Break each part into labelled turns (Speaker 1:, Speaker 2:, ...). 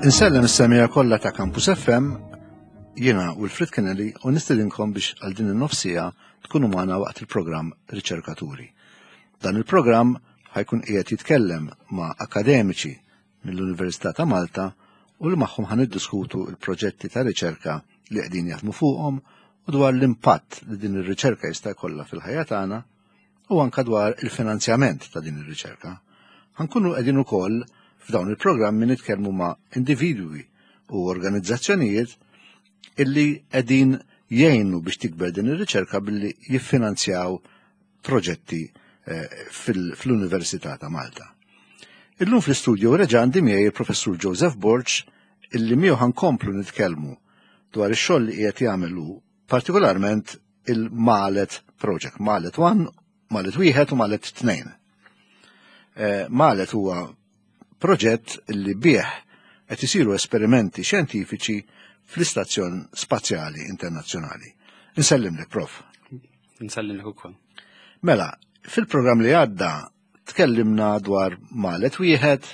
Speaker 1: Insellem is-semija kollha ta' Campus FM, jiena Wilfred Kennedy u nistedinkom biex għal din in-nofsija tkunu magħna waqt il-programm Riċerkaturi. Dan il-programm ħajkun qiegħed jitkellem ma' akademiċi mill-Università ta' Malta u li magħhom ħan niddiskutu l-proġetti ta' riċerka li qegħdin jaħdmu fuqhom u dwar l-impatt li din ir-riċerka jista' jkollha fil-ħajja tagħna u anka dwar il-finanzjament ta' din ir-riċerka. Ħankunu qegħdin ukoll f'dawn il-programmi nitkellmu ma' individwi u organizzazzjonijiet illi qegħdin jgħinu biex tikber din ir-riċerka billi jiffinanzjaw proġetti eh, fl-Università ta' Malta. Illum fl-istudju reġa' għandi miegħi il-Professur Joseph Borg illi miegħu ħankomplu nitkellmu dwar ix-xogħol li qiegħed jagħmel hu partikolarment il-Malet Project, Malet 1, Malet 1 u Malet 2. Eh, Malet huwa proġett li bih qed isiru esperimenti xjentifiċi fl-Istazzjon Spazjali Internazzjonali. Insellimlek, Prof.
Speaker 2: Nsellimlek ukoll.
Speaker 1: Mela, fil-programm li għadda tkellimna dwar Malet wieħed,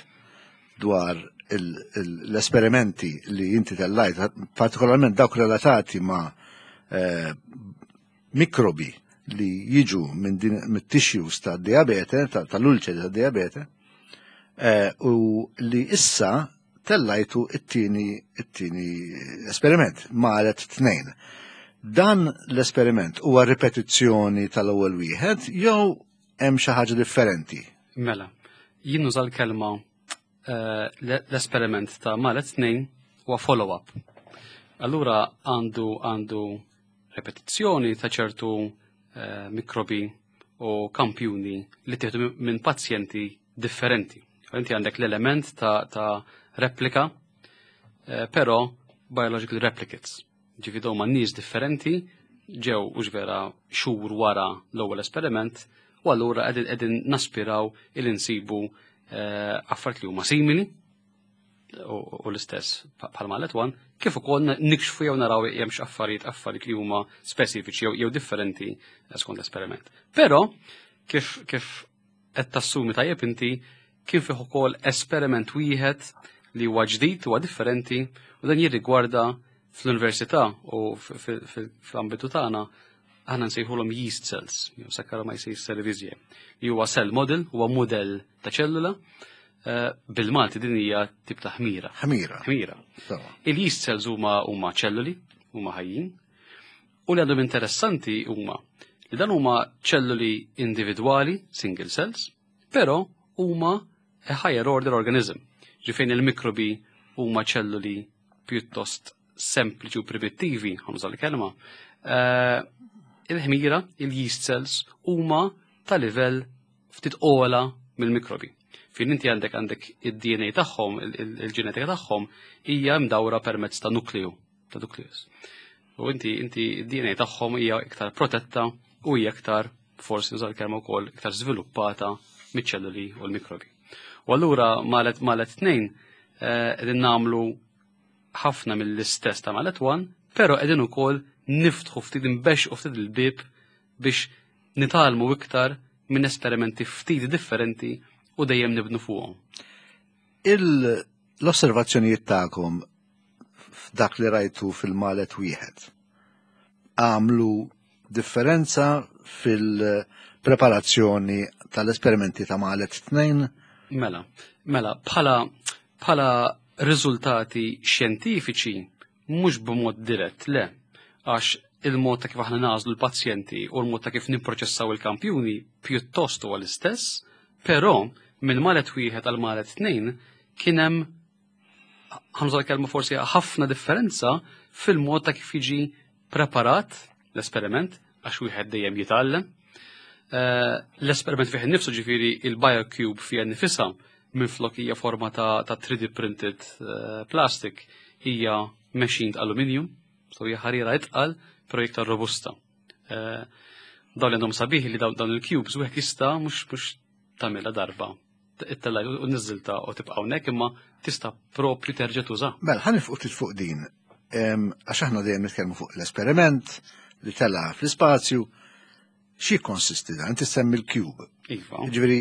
Speaker 1: dwar l-esperimenti li inti tellajt, partikolarment dawk relatati ma' eh, mikrobi li jiġu minn din mit-tissues ta' diabete, tal-ulċeri ta' diabete, eh, u li issa tellajtu it-tieni it-tieni esperiment, malet tnejn. Dan l-esperiment huwa ripetizzjoni tal-ewwel wieħed jew hemm xi ħaġa differenti?
Speaker 2: Mela, jien nuża l-kelma eh, l-esperiment ta' malet tnejn huwa follow-up. Allura għandu għandu repetizzjoni ta' ċertu eh, mikrobi u kampjuni li tieħdu minn pazjenti differenti. Inti għandek l-element ta', ta replika, eh, però biological replicates. Ġifi dawn nies differenti ġew u vera xhur wara l-ewwel esperiment u allura qegħdin naspiraw il insibu eh, affarijiet li huma simili u l-istess bħal Malet One, kif ukoll nikxfu jew naraw hemmx affarijiet affarijiet li huma speċifiċi jew differenti eh, skont l-esperiment. Però kif kif qed tassumi tajjeb inti kien fih ukoll esperiment wieħed li huwa ġdid huwa differenti u dan jirrigwarda fl-università u fl-ambitu tagħna aħna nsejħulhom yeast cells, jew Saccharomyces cerevisiae, li huwa cell model, huwa modell ta' ċellula, eh, bil-Malti din hija tip ta' ħmira.
Speaker 1: Ħmira.
Speaker 2: Ħmira. Il-yeast cells huma huma ċelluli, huma ħajjin, u li għandhom interessanti huma li dan huma ċelluli individwali, single cells, però huma a higher order organism. Ġifejn il-mikrobi huma ċelluli pjuttost sempliċi u primittivi, ħanuża l-kelma, eh, il-ħmira, il-yeast cells, huma ta' livell ftit ola mill-mikrobi. Fin inti għandek għandek id-DNA tagħhom, il-ġenetika tagħhom hija mdawra permezz ta' nukleu, ta' nucleus. U inti inti id-DNA tagħhom hija iktar protetta u hija iktar forsi nuża l-kelma wkoll iktar żviluppata miċ-ċelluli u l-mikrobi. U allura malet malet tnejn eh, qegħdin nagħmlu ħafna mill-istess ta' malet one, però qegħdin ukoll niftħu ftit nbexqu ftit il-bib biex nitgħallmu iktar minn esperimenti ftit differenti u dejjem nibnu fuqhom.
Speaker 1: L-osservazzjonijiet tagħkom f'dak li rajtu fil-malet wieħed għamlu differenza fil-preparazzjoni tal-esperimenti ta' malet tnejn?
Speaker 2: Mela, mela, bħala bħala riżultati xjentifiċi mhux b'mod dirett, le, għax il-mod ta' kif aħna nażlu l-pazjenti u l-mod ta' kif nipproċessaw il-kampjuni pjuttost huwa l-istess, però minn malet wieħed għal malet tnejn kien hemm ħamża l-kelma forsi ħafna differenza fil-mod ta' kif jiġi preparat l-esperiment għax wieħed dejjem jitgħallem. Eh, l-esperiment fih innifsu ġifieri il-biocube fih nifisha minflok hija forma ta', ta 3D printed eh, plastic hija machined aluminium, so hija ħarira itqal, però iktar robusta. Eh, dawn li għandhom sabiħ li dawn il-cubes wieħed jista' mhux mhux tagħmilha darba it-tella u niżilta u tibqa' hawnhekk imma tista' propju terġa' tuża.
Speaker 1: Mela, ħa nifqu fuq din. Għax aħna dejjem nitkellmu fuq l-esperiment li tela fl-ispazju. Xi konsisti dan? Inti semmi l-cube.
Speaker 2: Iva.
Speaker 1: Ġifieri,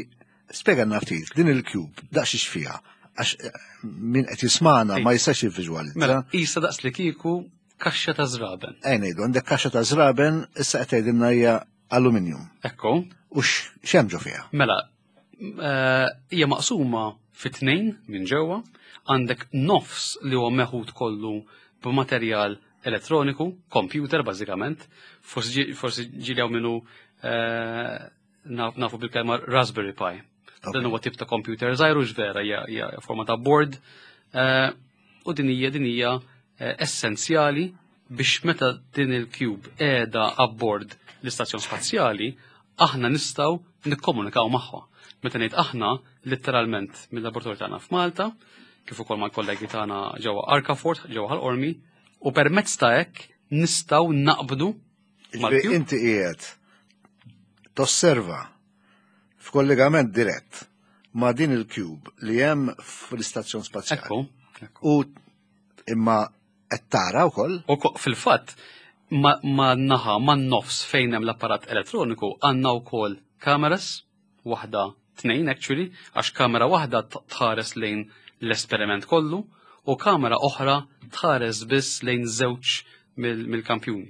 Speaker 1: spjega ftit din il-cube daqs x'fiha. Għax min qed jismana ma jistax jivviżwalizza.
Speaker 2: Mela, isa daqs li kieku kaxxa ta' żraben.
Speaker 1: Ej ngħidu, għandek kaxxa ta' żraben, issa qed tgħidilna hija aluminium.
Speaker 2: Ekku.
Speaker 1: U x'hemm ġo fiha?
Speaker 2: Mela, hija maqsuma fi tnejn minn ġewwa, għandek nofs li huwa meħud kollu b'materjal elettroniku, computer bażikament, forsi ġili hawn minnu nafu bil-kelma Raspberry Pi. Dan huwa tip ta' computer żgħir u vera hija forma ta' board. U din hija din hija essenzjali biex meta din il-cube qiegħda abbord l-istazzjon spazjali, aħna nistgħu nikkomunikaw magħha. Meta ngħid aħna, letteralment mill-laboratorju tagħna f'Malta, kif ukoll mal-kollegi tagħna ġewwa Arkafort, ġewwa Ħal Qormi, u permezz ta' hekk nistgħu naqbdu
Speaker 1: mal-cube. Inti qiegħed tosserva f'kollegament dirett ma' din il-cube li hemm fl-istazzjon spazjali.
Speaker 2: Ekku.
Speaker 1: U imma qed tara wkoll.
Speaker 2: U fil-fatt ma naħa ma nofs fejn hemm l-apparat elettroniku għandna wkoll kameras, waħda tnejn actually, għax kamera waħda tħares lejn l-esperiment kollu u kamera oħra tħares biss lejn żewġ mill-kampjuni.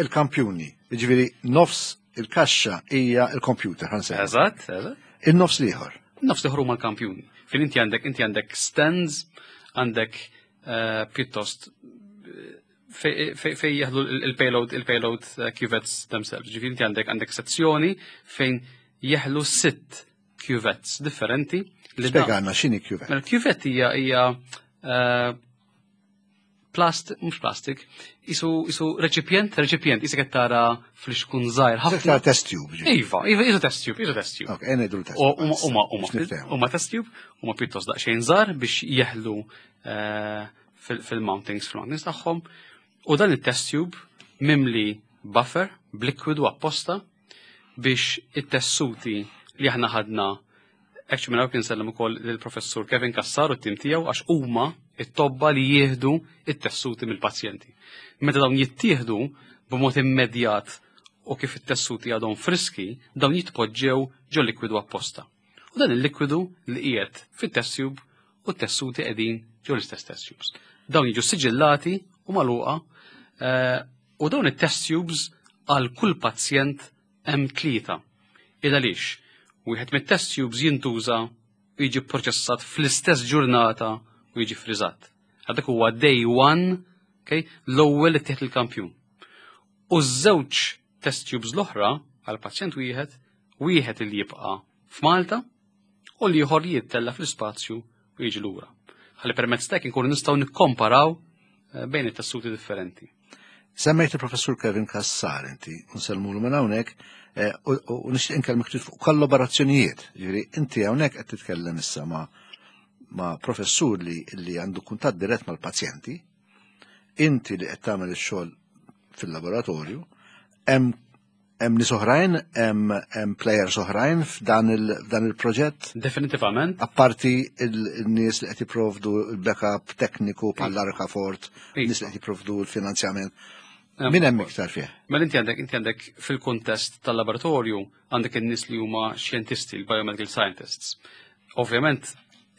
Speaker 1: Il-kampjuni, jiġifieri nofs il-kaxxa hija il-computer, ħansejħu.
Speaker 2: Eżatt, eżatt.
Speaker 1: Il-nofs l-ieħor.
Speaker 2: Nofs l-ieħor huma l-kampjuni. Fejn inti għandek stands, għandek pjuttost fej jeħlu il-payload cuvettes themselves. Ġifieri inti għandek sezzjoni fejn jeħlu 6 cuvettes differenti.
Speaker 1: Spjegana x'inhi cuvette.
Speaker 2: Mela cuvette hija plast, mhux plastik, isu reċipjent, reċipjent, isek qed tara fl-xkun żgħir ħafna.
Speaker 1: Tara test tube, ġifieri.
Speaker 2: Iva, iva, isu test tube, isu test tube.
Speaker 1: Ok, ngħidu test tube. Biex niftehmu.
Speaker 2: Huma test tube, huma pjuttost daqsxejn żgħar biex jeħlu fil-mountings tagħhom. U dan it-test tube mimli buffer b'likwidu apposta biex it-tessuti li aħna ħadna. Actually, minn hawn insellem ukoll lill-professur Kevin Cassar u t-tim tiegħu għax huma it-tobba li jieħdu it-tessuti mill-pazjenti. Meta dawn jittieħdu b'mod immedjat u kif it-tessuti għadhom friski, dawn jitpoġġew ġo likwidu apposta. U dan il-likwidu li qiegħed fit-test tube u t-tessuti qegħdin ġo l-istess test tubes. Dawn jiġu siġillati u magħluqa u dawn it-test tubes għal kull pazjent hemm 3. Il għaliex? Wieħed mit-test tubes jintuża u jiġi proċessat fl-istess ġurnata u jiġi friżat. Għadak huwa day 1, okay, l-ewwel li tieħed il-kampjun. U ż-żewġ test tubes l-oħra għal pazjent wieħed, wieħed li jibqa' f'Malta u l-ieħor li jittella fl-ispazju u jiġi lura. Ħalli permezz t'hekk inkunu nistgħu nikkomparaw bejn it-tessuti differenti.
Speaker 1: Semmejt il-professur Kevin Cassar inti, nsellmulu minn hawnhekk, u nixtieq inkellmek ftit fuq kollaborazzjonijiet. Ġifieri inti hawnhekk qed titkellem issa ma' professur li għandu kuntatt dirett mal-pazjenti, inti li qed tagħmel ix-xogħol fil-laboratorju, hemm nies oħrajn, hemm players oħrajn f'dan il-proġett?
Speaker 2: Definitivament.
Speaker 1: Apparti il-nies li qed jipprovdu l-backup tekniku bħal Arkafort, nies li qed jipprovdu l-finanzjament. Min hemm iktar fih?
Speaker 2: Mela inti għandek fil-kuntest tal-laboratorju għandek in-nies li huma xjentisti, il-biomedical scientists. Ovvjament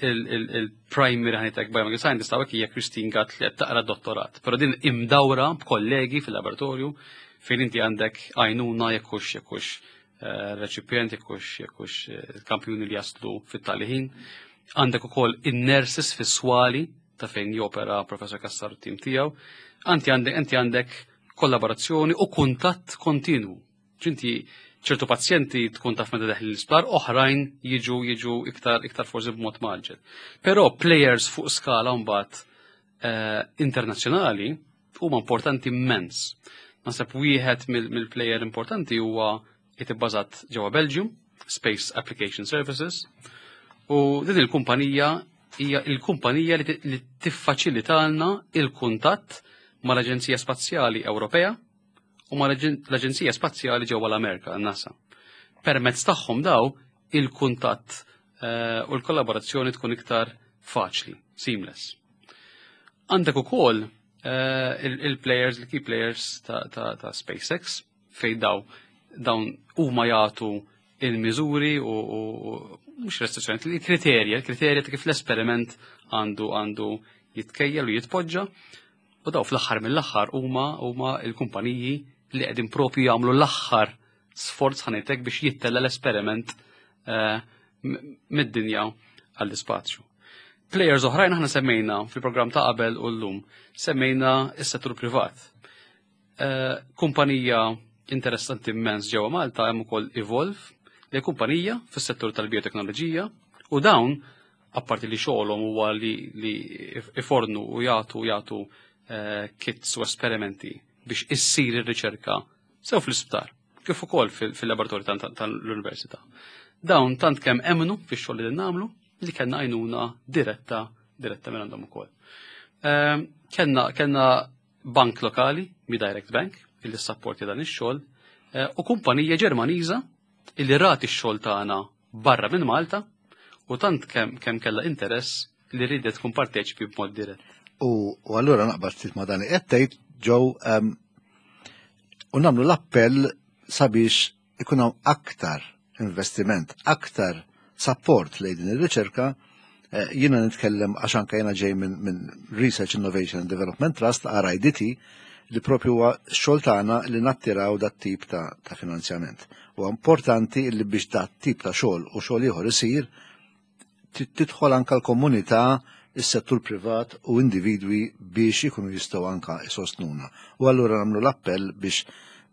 Speaker 2: il-primary ħanitek biomedical scientist hawnhekk hija Christine Gatt li qed taqra dottorat, però din imdawra b'kollegi fil-laboratorju fejn inti għandek għajnuna jekk hux reċipjent, jekk hux kampjuni li jaslu fit-tali ħin. Għandek ukoll in-nurses fis-swali ta' fejn jopera Professor Cassar u t-tim tiegħu. Anti għandek kollaborazzjoni u kuntatt kontinwu. Ġinti ċertu pazjenti tkun taf meta deħli l-isptar, oħrajn jiġu iktar forsi b'mod maġġel. Però players fuq skala mbagħad internazzjonali huma importanti immens. Naħseb wieħed mill-player importanti huwa qed ibbażat ġewwa Belgium, Space Application Services, u din il-kumpanija hija il-kumpanija li tiffaċilitalna il-kuntatt mal-Aġenzija Spazjali Ewropea u mal-Aġenzija Spazjali ġewwa l-Amerika, NASA. Permezz tagħhom daw il-kuntatt u l-kollaborazzjoni tkun iktar faċli, seamless. Għandek ukoll il-players, il-key players ta' SpaceX, fejn dawn huma jagħtu il-miżuri u mhux restrizzjoni, il-kriterja, il-kriterja ta' kif l-esperiment għandu għandu jitkejjel u jitpoġġa. U daw fl-aħħar mill-aħħar huma huma l-kumpaniji li qegħdin propju jagħmlu l-aħħar sforz ħanejtek biex jittella l-esperiment eh, mid-dinja għall-ispazju. Players oħrajn aħna semmejna fil-programm ta' qabel u llum, semmejna s-settur privat. Eh, kumpanija interessanti immens ġewwa Malta hemm ukoll Evolve, li kumpanija fis-settur tal-bioteknoloġija u dawn apparti li xogħolhom huwa li, li ifornu u jagħtu jagħtu eh, kits u esperimenti biex issir ir-riċerka sew fl-isptar kif ukoll fil-laboratorju tal-università. Dawn tant kemm emmnu fix-xogħol li nagħmlu li kellna għajnuna diretta diretta minn għandhom ukoll. Ehm, kellna kellna bank lokali, Mi Direct Bank, illi sapporti dan ix-xogħol, eh, u kumpanija Ġermaniża illi rat ix-xogħol tagħna barra minn Malta u tant kemm kemm kellha interess li ridet tkun parteċipi b'mod dirett.
Speaker 1: U allura naqbad ftit ma' dan li qed tgħid ġew ehm, u nagħmlu l-appell sabiex ikun hawn aktar investiment, aktar support lejn din ir-riċerka. Eh, jiena nitkellem għax anke jiena ġej minn Research Innovation and Development Trust, RIDT, li propju huwa xogħol tagħna li nattiraw dat tip ta', ta finanzjament. U importanti li biex dat tip ta' xogħol u xogħol ieħor isir tidħol anka l-komunità, is-settur privat u individwi biex ikunu jistgħu anka isostnuna. U allura nagħmlu l-appell biex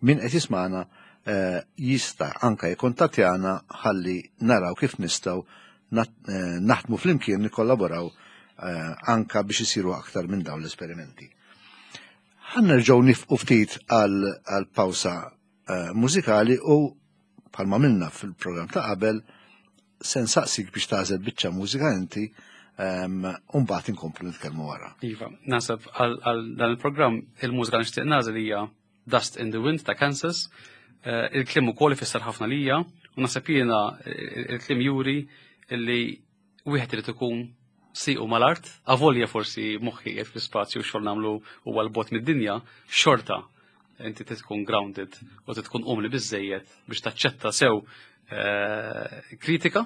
Speaker 1: min qed jismana eh, jista' anka jikkontattjana ħalli naraw kif nistgħu eh, naħdmu flimkien nikkollaboraw eh, anka biex isiru aktar minn dawn l-esperimenti. Ħa nerġgħu nifqu ftit għal pawsa mużikali u bħalma minna fil-programm ta' qabel se nsaqsik biex tagħżel biċċa mużika inti u mbagħad inkomplu nitkellmu wara.
Speaker 2: Iva, naħseb għal dan il-programm il-mużika nixtieq nagħżel hija Dust in the Wind ta' Kansas. Eh, il-kliem ukoll ifisser ħafna lija u naħseb jiena eh, il-kliem juri li wieħed irid ikun siqu mal-art, avolja forsi moħħi qiegħed fl-ispazju xogħol nagħmlu huwa l-bot mid-dinja, xorta inti tkun grounded u tkun umli biżejjed biex taċċetta sew eh, kritika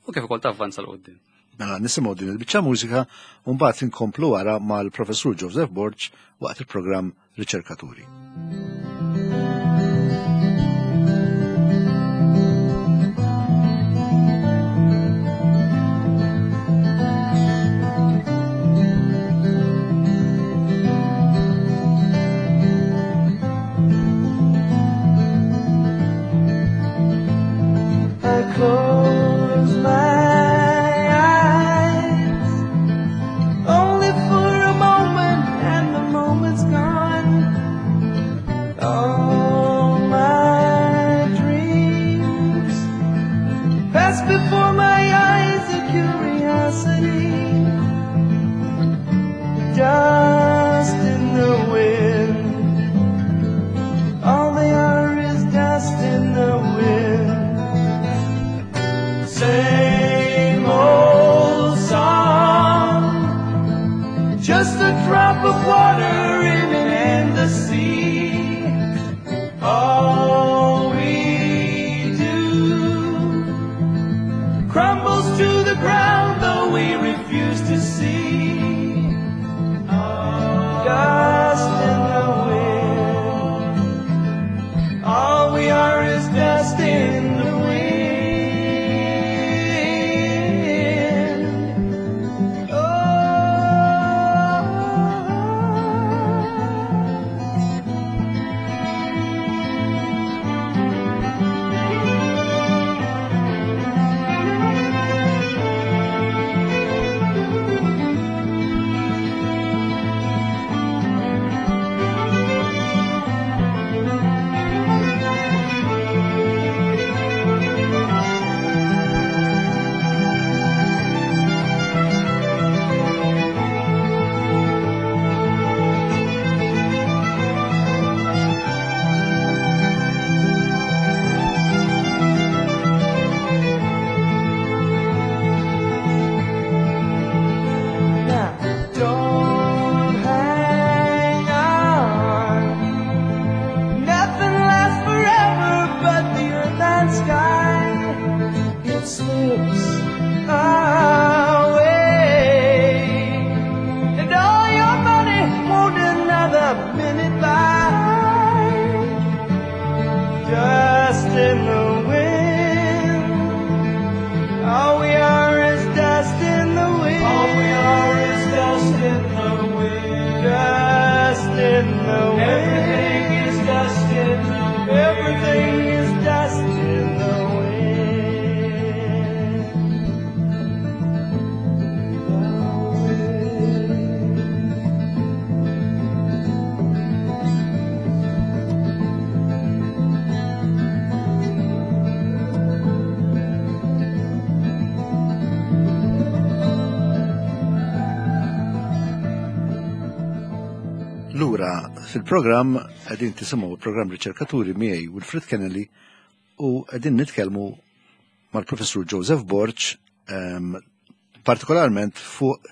Speaker 2: u kif ukoll tavvanza l qudiem.
Speaker 1: Mela nisimgħu din il-biċċa mużika u mbagħad inkomplu wara mal-Professur Joseph Borg waqt il-programm Riċerkaturi. Close my eyes only for a moment, and the moment's gone.
Speaker 3: in the wind. All we are is dust in the wind. All we are is dust in the wind. Dust in the wind. Everything is dust in the wind. Everything is dust in the wind. The wind.
Speaker 1: Lura fil-programm qegħdin tisimgħu il-programm Riċerkaturi miegħi Wilfred Kennedy u qegħdin nitkellmu mal-Professur Joseph Borg partikolarment fuq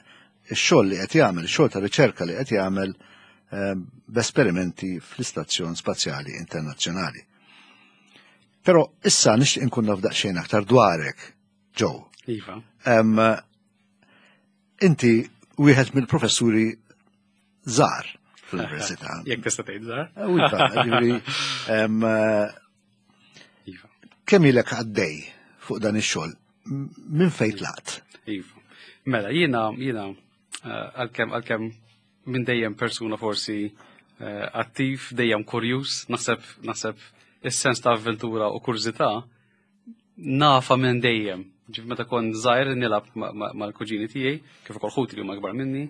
Speaker 1: ix-xogħol li qed jagħmel, ix-xogħol ta' riċerka li qed jagħmel b'esperimenti fl-Istazzjon Spazjali Internazzjonali. Però issa nixtieq inkun naf daqsxejn aktar dwarek, Joe.
Speaker 2: Iva.
Speaker 1: Inti wieħed mill-professuri żgħar fl-università.
Speaker 2: Jekk tista' tgħid żgħar.
Speaker 1: Iva, ġifieri,
Speaker 2: Iva.
Speaker 1: kemm ilek għaddej fuq dan ix-xogħol? Minn fejn tlaqt?
Speaker 2: Iva. Mela, jiena għalkemm minn dejjem persuna forsi attiv, dejjem kurjuż, naħseb is-sens ta' avventura u kurżità nafa minn dejjem. Ġif meta kont żgħir nilgħab mal-kuġini tiegħi, kif ukoll ħuti li huma akbar minni,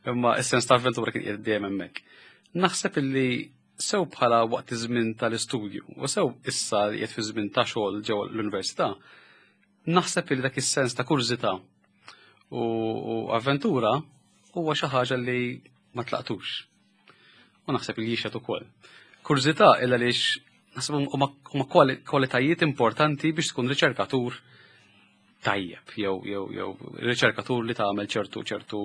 Speaker 2: imma is-sens ta' avventura kien qiegħed dejjem hemmhekk. Naħseb illi sew bħala waqt iż-żmien tal-istudju u sew issa li qiegħed fi żmien ta' xogħol ġewwa l-università, naħseb illi dak is-sens ta' kurżità u avventura huwa xi ħaġa li ma tlaqtux. U naħseb li jixhed ukoll. Kurżità illa għaliex naħseb huma kwalitajiet importanti biex tkun riċerkatur tajjeb jew riċerkatur li tagħmel ċertu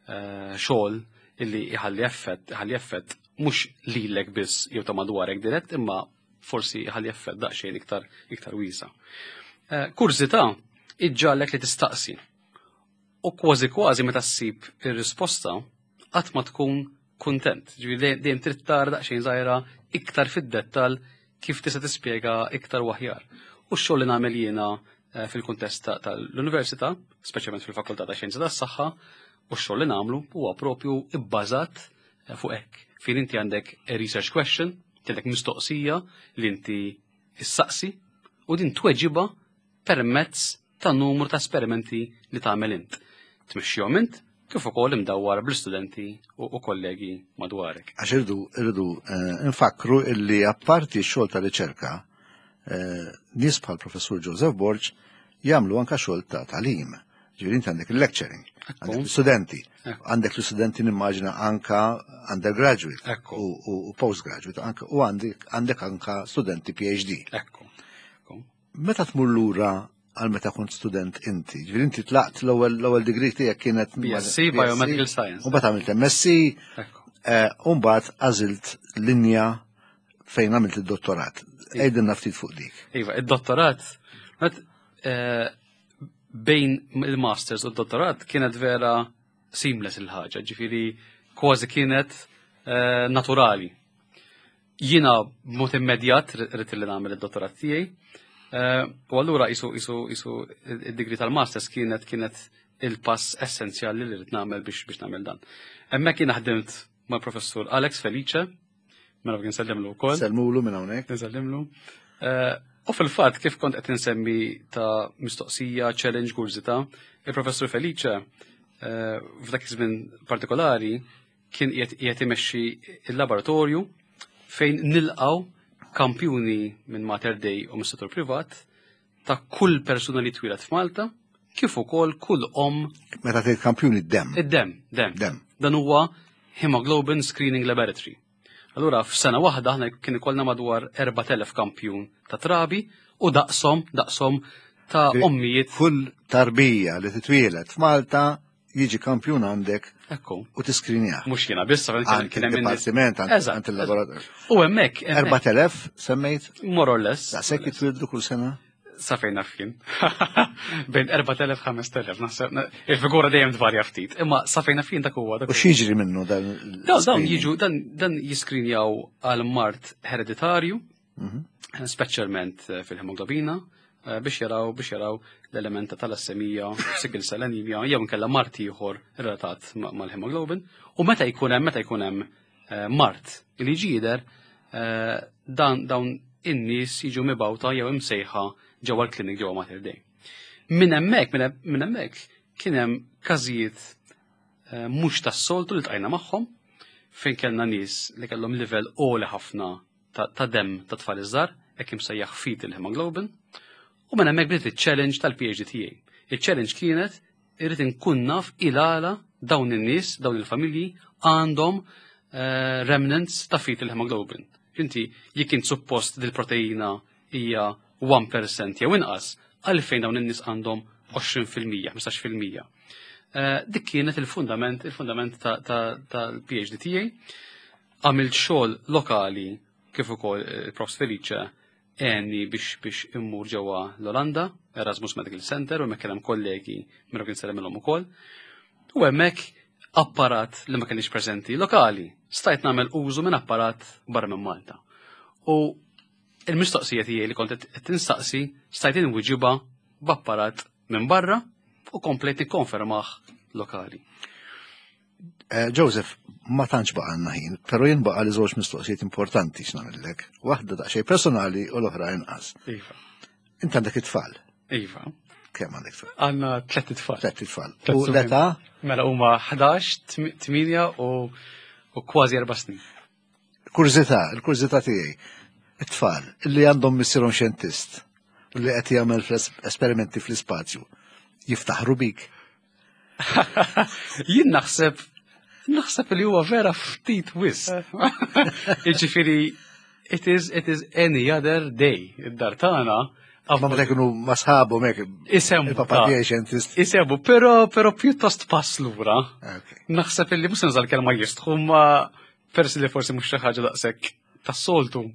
Speaker 2: xogħol illi iħalli effett, iħalli effett mhux lilek biss jew ta' madwarek dirett, imma forsi iħalli effett daqsxejn iktar wiesa. Kurżità iġġalek li tistaqsi. U kważi kważi meta ssib ir-risposta qatt ma tkun kuntent. Ġifieri dejjem trid tara daqsxejn żgħira iktar fid-dettall kif tista' tispjega iktar u aħjar. U x-xogħol li nagħmel jiena fil-kuntest tal-università, speċjalment fil-Fakultà ta' Xjenza tas-Saħħa, u x-xogħol li nagħmlu huwa propju ibbażat fuq hekk. Fejn inti għandek a research question, għandek mistoqsija li inti issaqsi u din tweġiba permezz ta' numru ta' esperimenti li tagħmel int. Tmexxihom int kif ukoll imdawwar bl-istudenti u kollegi madwarek.
Speaker 1: Għax irridu nfakru illi apparti x-xogħol ta' riċerka, nies bħal Professur Joseph Borg jagħmlu anka xogħol ta' tagħlim. Ġifieri inti għandek il-lecturing, għandek l-istudenti, għandek l-istudenti nimmaġina anka undergraduate u postgraduate, anka, u għandek anka studenti PhD. Meta tmur lura għal meta kont student inti, ġifieri inti tlaqt l-ewwel degree tiegħek kienet
Speaker 2: BSc, Biomedical Science.
Speaker 1: U mbagħad għamilt MSc, u mbagħad għażilt linja fejn għamilt id-dottorat. Għidilna ftit fuq dik.
Speaker 2: Iva, id-dottorat, bejn il-masters u d-dottorat kienet vera seamless il-ħaġa, ġifieri kważi kienet naturali. Jiena b'mod immedjat rrid li nagħmel id-dottorat tiegħi. U allura isu id-degree tal-masters kienet il-pass essenzjali li rrid nagħmel biex nagħmel dan. Hemmhekk jiena ħdimt mal-professur Alex Felice, mela kien nsellimlu wkoll.
Speaker 1: Selmulu minn hawnhekk.
Speaker 2: Nsellimlu. U fil-fatt kif kont qed insemmi ta' mistoqsija, challenge, kurżità, il-professur Felice f'dak iż-żmien partikolari kien qiegħed imexxi il-laboratorju fejn nilqgħu kampjuni minn Mater Dei u mis-settur privat ta' kull persuna li twieled f'Malta, kif ukoll kull om.
Speaker 1: Meta tgħid kampjuni d-dem.
Speaker 2: Id-dem, dem.
Speaker 1: Dem.
Speaker 2: Dan huwa Hemoglobin Screening Laboratory. Allura f'sena waħda aħna kien ikollna madwar 4000 kampjun ta' trabi u daqshom ta' ommijiet.
Speaker 1: Kull tarbija li titwieled f'Malta jiġi kampjun għandek u tiskrinjah.
Speaker 2: Mhux jiena biss,
Speaker 1: Għand
Speaker 2: kien hemm
Speaker 1: il-dipartiment,
Speaker 2: Eżatt.
Speaker 1: għand il-laboratorju.
Speaker 2: U hemmhekk
Speaker 1: 4000 semmejt?
Speaker 2: More or less.
Speaker 1: Daqshekk jitwieldu kull sena?
Speaker 2: Sa fejn naf jien. Bejn 4000, 5000, naħseb, il-figura dejjem tvarja ftit, imma sa fejn naf jien dak huwa, dak
Speaker 1: U
Speaker 2: huwa.
Speaker 1: x'jiġri minnu dan
Speaker 2: Dawn
Speaker 1: l-screening?
Speaker 2: jiġu, dan jiskrinjaw għal mard hereditarju. Speċjalment fil-hemoglobina, biex jaraw biex jaraw l-element ta' talassemija, sickle cell anemia, jew inkella mard ieħor relatat mal-hemoglobin. U meta jkun hemm meta jkun hemm mard li jiġi jidher, dan dawn in-nies jiġu mibgħuta jew imsejħa ġewwa l-klinik ġewwa Mater Dei. Minn hemmhekk minn hemmhekk kien hemm każijiet mhux tas-soltu li ltqajna magħhom fejn kellna nies li kellhom livell għoli ħafna ta' demm ta' tfal iż-żgħar, hekk imsejjaħ fetal hemoglobin, u minn hemmhekk bdiet iċ-challenge tal-PhD tiegħi. Iċ-challenge kienet irrid inkun naf il-għala dawn in-nies, dawn il-familji għandhom remnants ta' fetal hemoglobin. Inti jekk int suppost dil-proteina hija 1% jew inqas, għalfejn dawn in-nies għandhom 20%, 15%. Dik kienet il-fundament, il-fundament tal-PhD tiegħi. Għamilt xogħol lokali kif ukoll il-Profs Felice għenni biex immur ġewwa l-Olanda, Erasmus Medical Center, u hemmhekk hemm kollegi minn kien sellem ukoll. U hemmhekk apparat li ma kienx preżenti lokali, stajt nagħmel użu minn apparat barra minn Malta. U il-mistoqsija tiegħi li kont qed tinstaqsi stajt inwiġibha b'apparat minn barra u komplejt nikkonfermah lokali.
Speaker 1: Joseph, ma tantx baqgħalna ħin, però jien baqa' li żewġ mistoqsijiet importanti x'nagħmellek. Waħda daqsxejn personali u l-oħra inqas.
Speaker 2: Iva.
Speaker 1: Int għandek it-tfal.
Speaker 2: Iva.
Speaker 1: Kemm għandek tfal?
Speaker 2: Għandna tlett itfal.
Speaker 1: Tlett itfal. U l-età?
Speaker 2: Mela huma 11, 8 u kważi 4 snin.
Speaker 1: Kurżità, il-kurżità tiegħi. It-tfal li għandhom missierhom xjentist u li qed jagħmel esperimenti fl-ispazju, jiftaħru bik?
Speaker 2: Jien naħseb li huwa vera ftit wisq. Jiġifieri, it is any other day. Id-dar tagħna.
Speaker 1: Ma meta jkunu ma sħabhom hekk.
Speaker 2: Isemmu.
Speaker 1: Il-papa tiegħi xjentist.
Speaker 2: Isemmu, però pjuttost pass lura. Naħseb illi mhux nuża l-kelma jistħu, ma persi li forsi mhux xi ħaġa daqshekk tas-soltu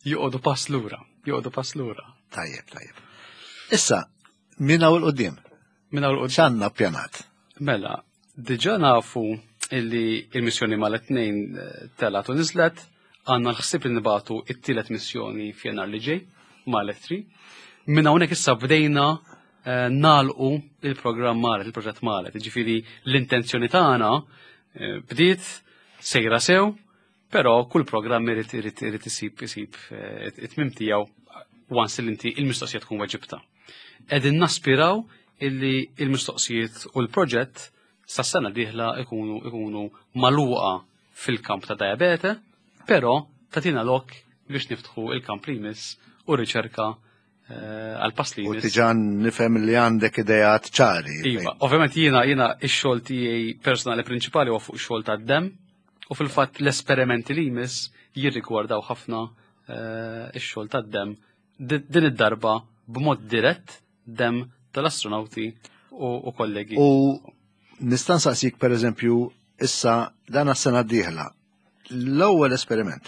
Speaker 2: joqogħdu pass lura, joqogħdu pass lura.
Speaker 1: Tajjeb, tajjeb. Issa, minn hawn 'il quddiem?
Speaker 2: Minn hawn 'il quddiem.
Speaker 1: X'għandna ppjanat?
Speaker 2: Mela, diġà nafu illi il-missjoni mal-tnejn telgħet u niżlet, għandna l-ħsieb li nibagħtu it-tielet missjoni f'Jannar li ġej, Malet 3. Minn hawnhekk issa bdejna nagħlqu il-programm Malet, il-proġett Malet. Ġifieri l-intenzjoni tagħna bdiet sejra sew, però kull programm irid isib it-tmiem tiegħu once li inti il-mistoqsija tkun weġibta. Qegħdin naspiraw illi il-mistoqsijiet u l-proġett sas-sena dieħla ikunu magħluqa fil-kamp ta' diabete, però tagħtina lok biex niftħu il-kamp li jmiss u riċerka għal pass li
Speaker 1: U
Speaker 2: jmiss.
Speaker 1: diġà nifhem li għandek idejat ċari.
Speaker 2: Iva, ovvjament jiena ix-xogħol tiegħi personali prinċipali huwa fuq xogħol tad-demm u fil-fatt l-esperimenti li jmiss jirrigwardaw ħafna ix-xogħol tad-demm din id-darba b'mod dirett demm tal-astronauti u kollegi.
Speaker 1: U nista' nsaqsik per eżempju issa dan għas-sena d-dieħla. L-ewwel esperiment,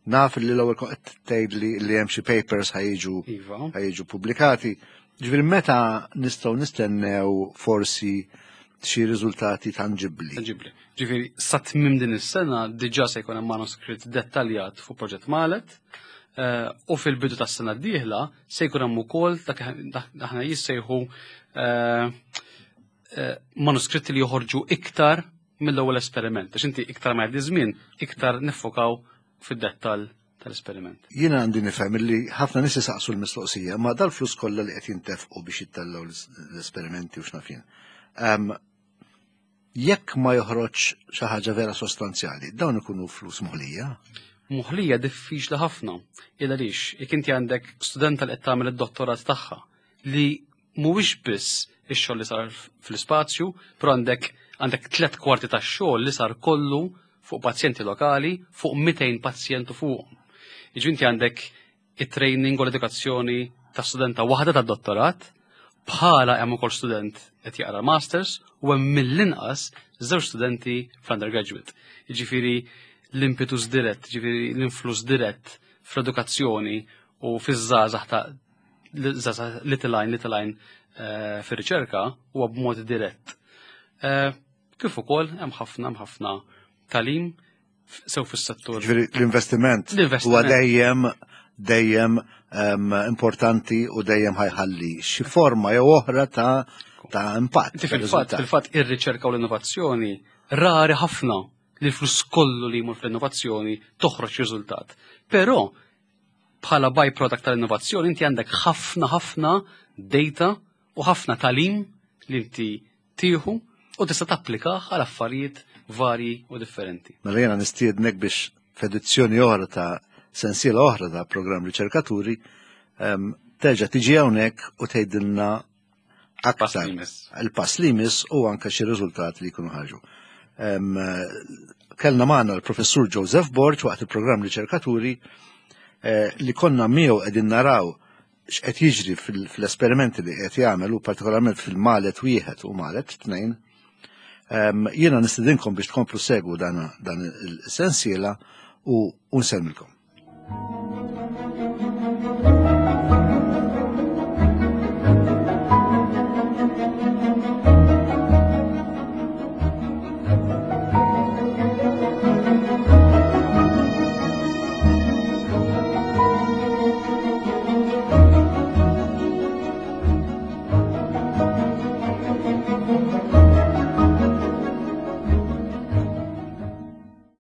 Speaker 1: naf li l-ewwel qed tgħid li hemm xi papers ħa jiġu pubblikati. Ġifieri meta nistgħu nistennew forsi xi riżultati tanġibbli?
Speaker 2: Tanġibbli. Ġifieri sa tmiem din is-sena diġà se jkun hemm manuskritt dettaljat fuq proġett Malet. U fil-bidu tas-sena d-dieħla se jkun hemm ukoll dak aħna jissejħu manuskritti li joħorġu iktar mill-ewwel esperiment. Għax inti iktar ma jgħaddi żmien, iktar niffokaw fid-dettall tal-esperiment.
Speaker 1: Jiena għandi nifhem li ħafna nies isaqsu l-mistoqsija, ma dal-flus kollha li qed jintefqu biex jittellgħu l-esperimenti u x'naf jien. Jekk ma joħroġ xi ħaġa vera sostanzjali, dawn ikunu flus moħlija?
Speaker 2: Moħlija diffiċli ħafna. Il għaliex, jekk inti għandek studenta li qed tagħmel id-dottorat tagħha li mhuwiex biss ix-xogħol li sar fl-ispazju, però għandek 3/4 tax-xogħol li sar kollu fuq pazjenti lokali, fuq 200 pazjent u fuqhom. Jiġifieri inti għandek it-training u l-edukazzjoni ta' studenta waħda ta' dottorat, bħala hemm ukoll student qed jaqra masters u hemm mill-inqas żewġ studenti fl-undergraduate. Jiġifieri l-impetus dirett, jiġifieri l-influss dirett fl-edukazzjoni u fiż-żgħażagħ ta' l-żgħażagħ little line fir-riċerka huwa b'mod dirett. Kif ukoll hemm ħafna tagħlim sew fis-settur.
Speaker 1: Ġifieri l-investiment
Speaker 2: L-investiment.
Speaker 1: huwa dejjem dejjem importanti u dejjem ħajħalli xi forma jew oħra ta' ta' impatt.
Speaker 2: Inti fil-fatt fil-fatt ir-riċerka u l-innovazzjoni rari ħafna li l-flus kollu li jmur fl-innovazzjoni toħroġ riżultat. Però bħala byproduct tal-innovazzjoni inti għandek ħafna ħafna data u ħafna talim li inti tieħu u tista' tapplikah għal affarijiet varji u differenti.
Speaker 1: Mela jiena nistiednek biex f'edizzjoni oħra ta' sensiela oħra ta' programm riċerkaturi terġa' tiġi hawnhekk u tgħidilna aktar il-pass li jmiss u anke xi riżultat li jkunu ħarġu. Kellna magħna l-professur Joseph Borg waqt il-programm riċerkaturi eh, li konna miegħu qegħdin naraw x'qed jiġri fl-esperimenti li qed jagħmel u partikolarment fil-malet wieħed u malet tnejn. Jiena nistidinkom biex tkomplu segwu dan il-sensiela u nsellmilkom.